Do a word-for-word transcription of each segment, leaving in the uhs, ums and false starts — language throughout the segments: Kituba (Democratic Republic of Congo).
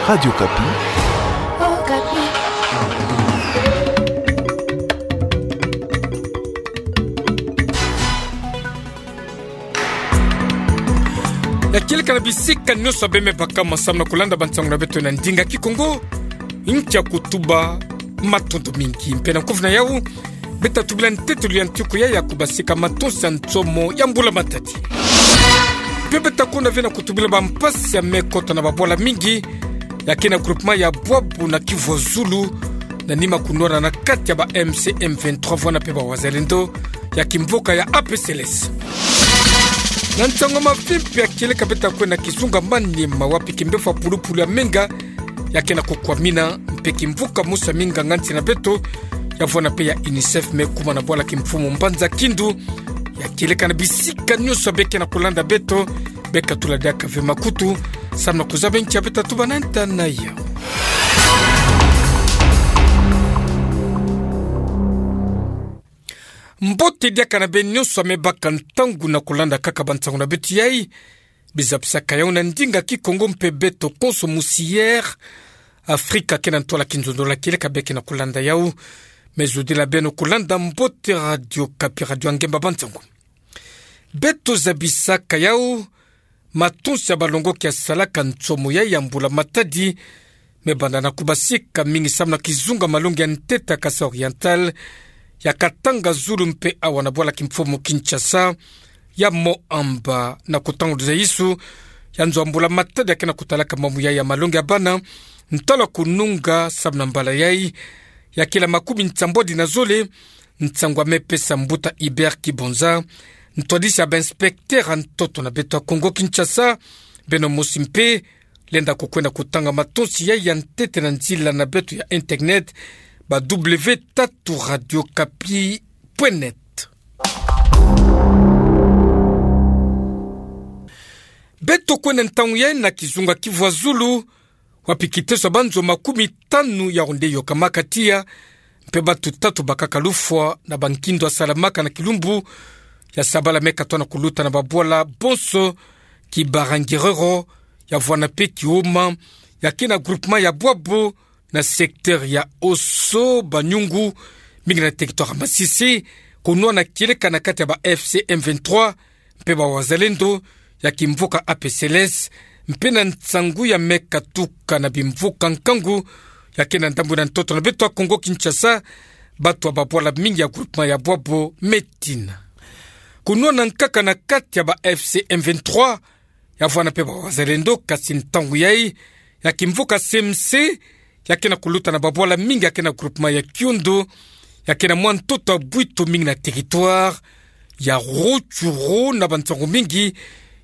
Radio Okapi. Ya kieleka na bisika nyonso beme baka, samu na kulanda bansango na beto na ndinga Kikongo. Nkia kutuba, matondo mingi. Mpe na nkufi na yau, beta tubila ntetolo ya ntuku ya ya kubasika matonsi ya nsomo ya mbula matadi. Mpe beta kwenda ve na kutubila bampasi ya me kota na babwala mingi ya ke na groupement ya Bwabu na Kivu ya Zulu, na nima kunwana na kati ya ba M C M vingt-trois vwana mpe ba Wazalendo ya kimvuka ya A P C L S. Na nsango mavimpi ya kieleka, beta kwenda kizunga Maniema, wapi kimbefo ya pulupulu ya menga ya ke na kukwamina, mpe kimvuka mosi ya minganga nsi na beto ya vwana mpe ya UNICEF me kuma na bwala kimfumu Mbanza Kindu. Ya kieleka na bisika nyonso be ke na kulanda beto, beka tula diaka ve makutu, samu na kuzaba nkia beta tuba na nta na yau. Mbote diaka na beno nyonso ya me baka ntangu na kulanda kaka bansango na beto yai. Bizabisaka yau na ndinga Kikongo mpe beto konso musi Air Afrika ke na ntwala kinzonzolo ya kieleka be ke na kulanda yau. Me zodila beno kulanda mbote Radio Okapi, radio ya ngemba bansango. Beto zabisaka yau, matonsi ya balongoki ya salaka nsomo yai ya mbula matadi me banda na kubasika mingi samu na kizunga malongi ya ntete ya Kasaï Oriental, ya Katanga, Zulu mpe awa na bwala kimfumu Kinshasa, ya Moamba, na kutanguluza isu ya nzo ya mbula matadi ya ke na kutalaka mamu yai ya malongi ya bana, ntalo ya kununga samu na mbala yai ya kila makumi nsambwadi na zole. Nsangu ya me pesa mbuta Hubert Kibonza, ntwadisi ya ba inspecteur ya ntoto na beto ya Kongo Kinshasa. Beno mosi mpe lenda kukwenda kutanga matonsi yai ya ntete na nzila na beto ya internet, ba W tatu radio okapi point net. Beto kwenda ntangu yai na kizunga Kivu ya Zulu, wapi kiteso ya banzo makumi tanu ya onde yokamaka tiya, mpe batu tatu bakaka lufwa na bankindo ya salamaka na kilumbu ya sabala me katoa na kuluta na babwala bonso, Kibarangerero ya vwana mpe Kioma, ya ke na groupement ya Bwabu, na secteur ya Oso Banyungu, mingi na territoire ya Masisi, kunwana kieleka na kati ya ba F C M vingt-trois mpe ba Wazalendo ya kimvuka A P C L S, mpe na nsangu ya me katuka na bimvuka nkangu ya ke na ndambu na ntoto na beto ya Kongo Kinshasa, batu ya babwala mingi ya groupement ya Bwabu me tina. Kunwana nkaka na kati ya ba F C M vingt-trois, ya vwana mpe ba Wazalendo, kasi ntangu yai ya kimvuka C M C ya ke na kuluta na babwala mingi ya ke na groupement ya Kiondo, ya ke na mwa ntoto ya bwito mingi na territoire ya Rutshuru, na bansangu mingi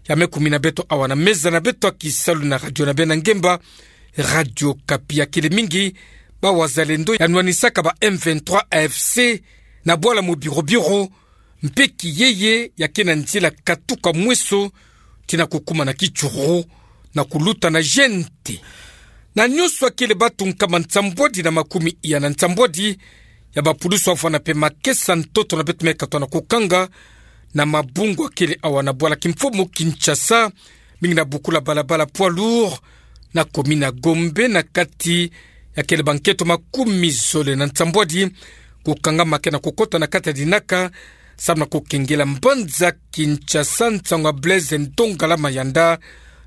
ya me kumina beto awa na meza na beto ya kisalu na radio na beno ya ngemba, Radio Okapi. Ya kele mingi ba Wazalendo ya nwanisaka ba M vingt-trois A F C na bwala Mobirobiro, mpe kiyeye ya ke na nzila katuka Mweso tina kukuma na Kitshuru na kuluta na Gente. Na nyonso ya kele batu nkama nsambwadi na makumi iya na nsambwadi ya bapulusu ya vwana mpe makesa ntoto na beto me katoa na kukanga na mabungu ya kele awa na bwala kimfumu Kinshasa, mingi na bukula balabala poids lourd na commune ya Gombe, na kati ya kele bankento makumi zole na nsambwadi kukangama ke na kukota na kati ya dinaka, samu na kukengela mbanza Kinshasa. Nsangu ya Blaise Ndongala Mayanda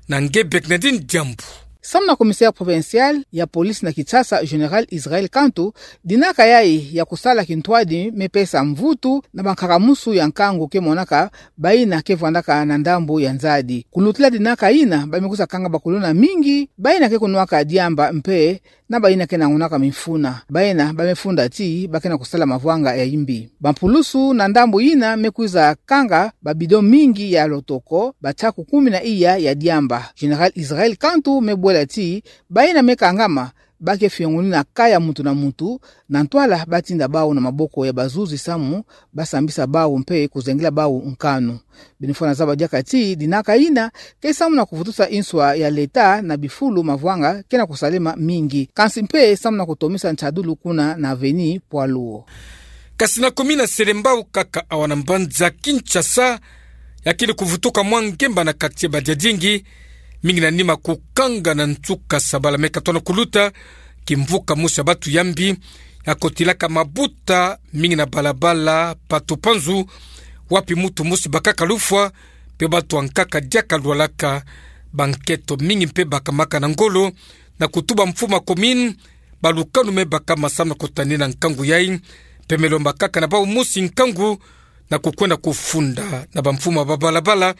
na nge Bernardine Diambu. Samu na commissaire provincial ya police na Kinshasa, Général Israël Kantu, dinaka yai ya kusala kintwadi me pesa mvutu na bankaka musu ya nkangu ke monaka baina ke vwandaka na ndambu ya nzadi. Kulutila dinaka ina, ba me kwiza kanga bakuluna mingi baina ke kunwaka diamba mpe na baina ke na ngunaka mifuna. Baina ba me funda ti ba ke na kusala mavwanga ya imbi. Bampulusu na ndambu ina me kwiza kanga ba bidon mingi ya lotoko, ba nsaku kumi na iya ya diamba. Général Israël Kantu me bwela ti baina me kangama ba ke fiongunina kaya muntu na muntu, na ntwala ba tinda bawu na maboko ya bazuzi samu ba sambisa bawu mpe kuzengela bawu nkanu. Beno fwana zaba diaka ti dinaka ina ke samu na kuvutusa inswa ya leta na bifulu mavwanga ke na kusalema mingi, kansi mpe samu na kutomisa nsadulu kuna na avenue poids lourd. Kasi na commune ya Selembao kaka awa na mbanza Kinshasa, ya kele kuvutuka mwa ngemba na quartier Badiadingi, Mingi na nima kukanga na nsuka sabala me katona kuluta, kimvuka mosi ya batu yambi, ya kotilaka mabuta mingi na balabala Patu Panzu, wapi mutu mosi bakaka lufwa, mpe batu ankaka diaka lwalaka, banketo mingi mpe bakamaka na ngolo, na kutuba mfumu ya commune, balukanu me bakama samu na kutanina nkangu yai, mpe me lomba kaka na bawu mosi nkangu, na kukwenda kufunda na bamfumu ya babalabala,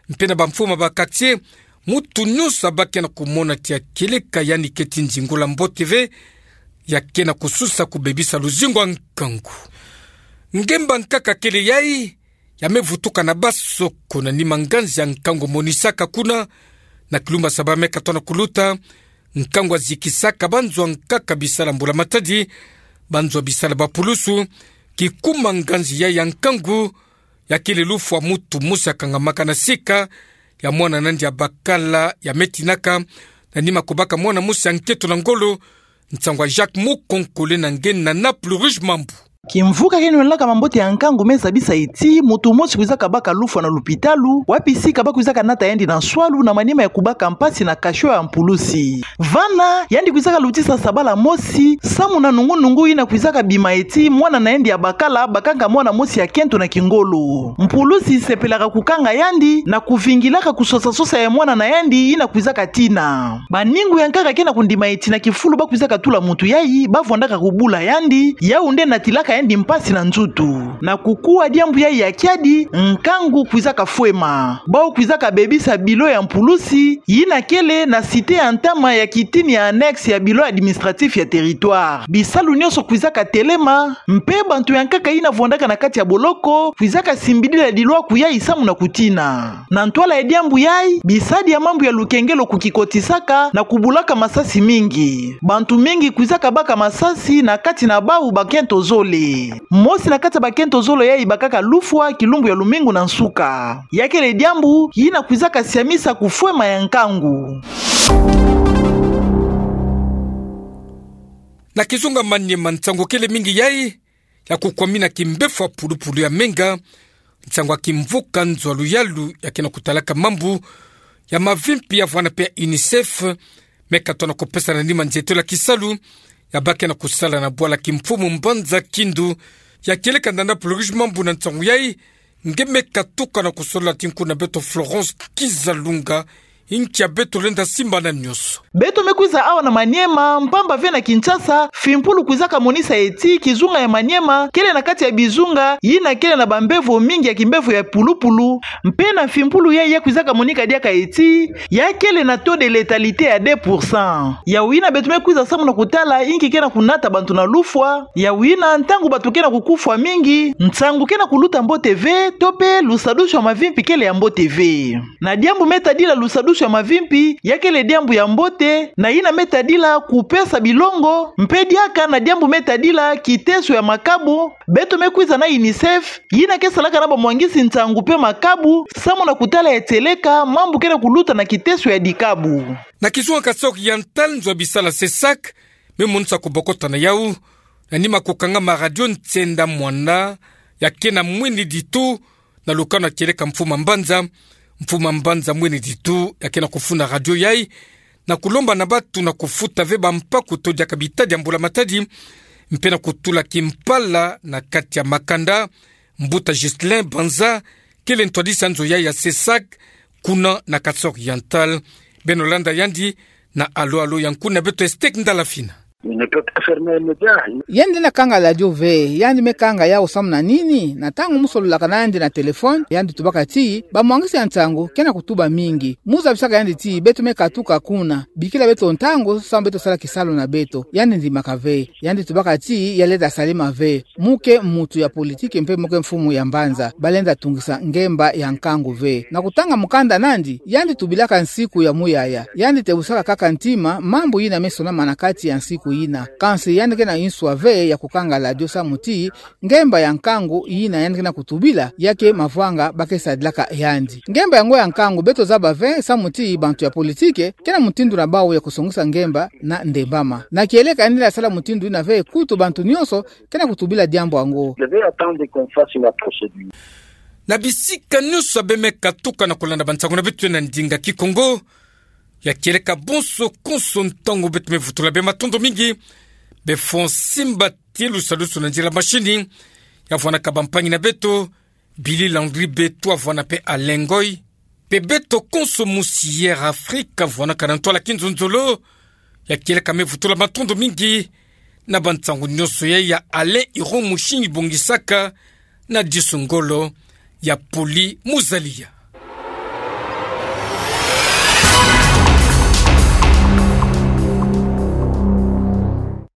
mpe na bamfumu ya ba quartier, mutu nyonso abaki na kumona ti ya kieleka yandi keti nzingula mbote ve, ya ke na kususa kubebisa luzingu ya nkangu. Ngemba nkaka kele yai, ya me vutuka na basoko na nima nganzi ya nkangu monisaka kuna, na kilumbu ya sabala me katona kuluta, nkangu ya zikisaka banzo ankaka bisala ya mbula matadi, banzo bisala ya bapulusu, kikuma nganzi yai ya nkangu, ya kele lufwa mutu mosi ya kangamaka na sika, ya mwana na yandi ya bakala, ya me tinaka, na nima kubaka mwana mosi ya nketo na ngolo, nsangu ya Jacques Mukonkole na nge na Naples Rouge Mambu. Kimvuka ke nwenlaka mambote ya nkangu me zabisa ti, mutu mosi kwizaka baka lufwa na lupitalu, wapi sika ba kwizaka nata yandi na nswalu na manima ya kubaka mpasi na cachot ya mpulusi. Vana, yandi kwizaka lutisa sabala mosi, samu na nungu-nungu yina kwizaka bima ti, mwana na yandi ya bakala, bakaka mwana mosi ya kento na kingolo. Mpulusi sepelaka kukanga yandi, na kuvingilaka kusosa-sosa ya mwana na yandi, yina kwizaka tina. Baningu ya nkaka ke na kundima ti na kifulu ba kwizaka tula mutu yai, ba vwandaka kubula yandi, yawu nde natilaka yandi mpasi na nzutu. Na kukuwa diambu yai ya kiadi, nkangu kwizaka fwema. Bawu kwizaka bebisa bilo ya mpulusi, yina kele na cité ya ntama ya kitini ya annexe ya bilo administratif ya territoire. Bisalu nyonso kwizaka telema, mpe bantu ya nkaka yina vwandaka na kati ya boloko, kwizaka simbidila dilwaku yai samu na kutina. Na ntwala ya diambu yai, bisadi ya mambu ya lukengelo kukikotisaka na kubulaka masasi mingi. Bantu mingi kwizaka baka masasi na kati na bawu bakento zole. Mosi na kati ya bakento zole yai bakaka lufwa kilumbu ya lumingu na nsuka. Ya kele diambu yina kwizaka siamisa kufwema ya nkangu. Na kizunga Maniema nsangu kele mingi yai, ya kukwamina kimbevo ya pulupulu ya menga, nsangu ya kimvuka nzo ya luyalu ya ke na kutalaka mambu ya mavimpi ya vwanda mpe ya UNICEF, me katona kupesa na nima nzietolo ya kisalu, ya ba ke na kusala na bwala kimfumu Mbanza Kindu, ya kieleka na Naples Rouge Mambu na nsangu yai, nge me katuka na kusolola ti nkunga na beto Florence Kizalunga, inki ya beto lenda simbana nyonso. Beto me kwiza awa na Maniema, mpamba ve na Kinshasa, fimpulu kwizaka monisa ti, kizunga ya Maniema, kele na kati ya bizunga, yina kele na bambevo mingi ya kimbevo ya pulupulu, mpe na fimpulu yai ya kwizaka monika diaka ti, ya kele na taux de létalité ya deux pour cent. Yawu yina beto me kwiza samu na kutala, inki ke na kunata bantu na lufwa, yawu yina ntangu bantu ke na kukufwa mingi, nsangu ke na kuluta mbote ve, to mpe lusadusu ya mavimpi kele ya mbote ve. Na diambu me tadila lusadusu ya mavimpi, ya kele diambu ya mbote, na yina me tadila kupesa bilongo, mpe diaka na diambu me tadila kiteso ya makabu, beto me kwiza na UNICEF, yina ke salaka na bamwangisi nsangu mpe makabu, samu na kutala ya tieleka, mambu ke na kuluta na kiteso ya dikabu. Na kizunga Kasaï Oriental nzo ya bisala CESAC, me monisa kubokota na yawu, na nima kukangama radio Ntsenda Mwana, ya ke na Mwini Ditu, na lukanu ya kieleka mfumu Mbanza, mfumu Mbanza Mwini Ditu, ya ke na kufunda radio yai, na kulomba na bantu na kufuta ve bampaku to diaka bitadi ya mbula matadi, mpe na kutula kimpala na kati ya makanda, mbuta Ghislain Banza, kele ntwadisi ya nzo yai ya CESAC, kuna na Kasaï Oriental, beno landa yandi, na alo alo ya nkunga na beto Estek Ndalafina. Il ne peut pas fermer un média. Yandi lenda kanga radio ve, yandi me kanga yawu samu na nini, na ntangu mo sololaka na yandi na téléphone, yandi tubaka ti, bamwangisi ya nsangu, ke na kutuba mingi. Mo zabisaka yandi ti, beto me katuka kuna, bikila beto ntangu, samu beto sala kisalu na beto, yandi ndimaka ve, yandi tubaka ti, ya lenda salama ve. Mo ke muntu ya politiki mpe mo ke mfumu ya mbanza, ba lenda tungisa ngemba ya nkangu ve. Na kutanga mukanda nandi, yandi tubilaka nsiku ya muyaya. Yandi tebusaka kaka ntima, mambu yina me sonama na kati ya nsiku yina. Kansi yandi ke na nswa ve ya kukanga radio samu ti, ngemba ya nkangu yina yandi ke na kutubila, ya ke mavwanga ba ke sadilaka yandi. Ngemba yango ya nkangu beto zaba ve samu ti bantu ya politiki, ke na mutindu na bawu ya kusongisa ngemba na ndembama. Na kieleka yandi lenda sala mutindu yina ve kutu bantu nyonso, ke na kutubila diambu yango. Devait attendre qu'on fasse la procédure. Na bisika nyonso beno me katuka na kulanda bansangu na beto na ndinga Kikongo, Ya kieleka bonso konso ntangu beto me vutula bie matondo mingi. Bie Fon Simba Tielu Salusu na nzila mashini. Ya vwanaka bampangi na beto, Billy Landry Beto, avwana pe Alain Ngoy. Pe beto konso mu Sierra Africa, vwanaka na ntwala kinzonzolo. Ya kieleka me vutula matondo mingi na bansangu nyonso ya, ya Alain Iron Mushinyi Bongisaka, na disu ngolo ya Poli Muzalia.